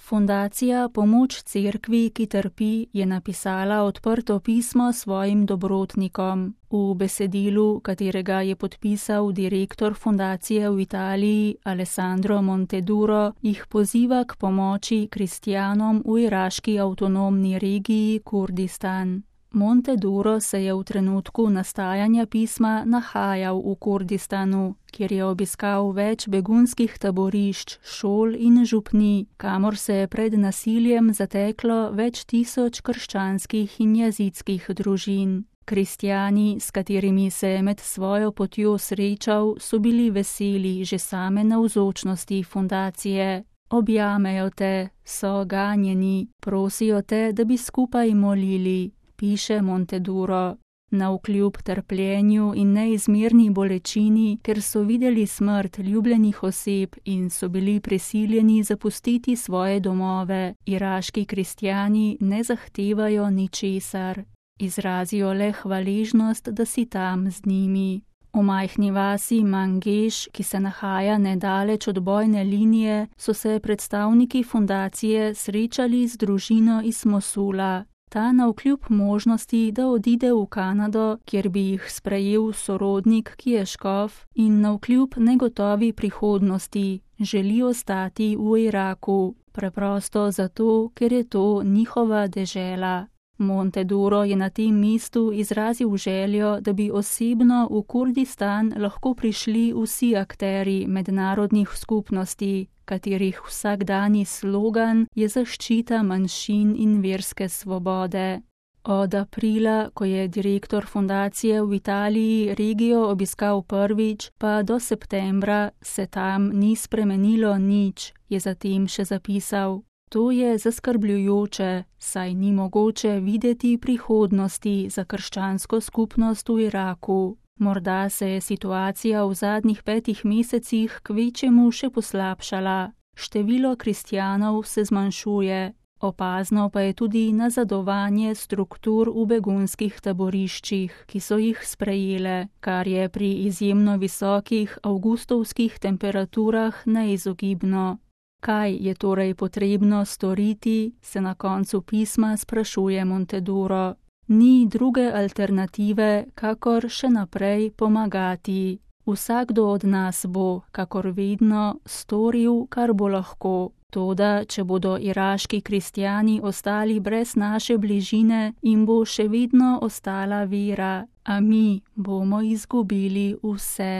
Fundacija Pomoč cerkvi, ki trpi, je napisala odprto pismo svojim dobrotnikom. V besedilu, katerega je podpisal direktor fundacije v Italiji Alessandro Monteduro, jih poziva k pomoči kristjanom v iraški avtonomni regiji Kurdistan. Monteduro se je v trenutku nastajanja pisma nahajal v Kurdistanu, kjer je obiskal več begunskih taborišč, šol in župnij, kamor se je pred nasiljem zateklo več tisoč krščanskih in jazidskih družin. Kristjani, s katerimi se je med svojo potjo srečal, so bili veseli že same navzočnosti fundacije. Objamejo te, so ganjeni, prosijo te, da bi skupaj molili, piše Monteduro. Navkljub trpljenju in neizmerni bolečini, ker so videli smrt ljubljenih oseb in so bili prisiljeni zapustiti svoje domove, iraški kristjani ne zahtevajo ničesar. Izrazijo le hvaležnost, da si tam z njimi. V majhni vasi Mangeš, ki se nahaja nedaleč od bojne linije, so se predstavniki fundacije srečali z družino iz Mosula. Ta navkljub možnosti, da odide v Kanado, kjer bi jih sprejel sorodnik, ki je škof, in navkljub negotovi prihodnosti, želi ostati v Iraku, preprosto zato, ker je to njihova dežela. Monteduro je na tem mestu izrazil željo, da bi osebno v Kurdistan lahko prišli vsi akteri mednarodnih skupnosti, katerih vsakdanji slogan je zaščita manjšin in verske svobode. Od aprila, ko je direktor fundacije v Italiji regijo obiskal prvič, pa do septembra se tam ni spremenilo nič, je zatem še zapisal. To je zaskrbljujoče, saj ni mogoče videti prihodnosti za krščansko skupnost v Iraku. Morda se je situacija v zadnjih 5 mesecih kvečjemu še poslabšala. Število kristjanov se zmanjšuje, opazno pa je tudi nazadovanje struktur v begunskih taboriščih, ki so jih sprejele, kar je pri izjemno visokih avgustovskih temperaturah neizogibno. Kaj je torej potrebno storiti, se na koncu pisma sprašuje Monteduro. Ni druge alternative, kakor še naprej pomagati. Vsakdo od nas bo, kakor vedno, storil, kar bo lahko. Toda, če bodo iraški kristjani ostali brez naše bližine, jim bo še vedno ostala vera, a mi bomo izgubili vse.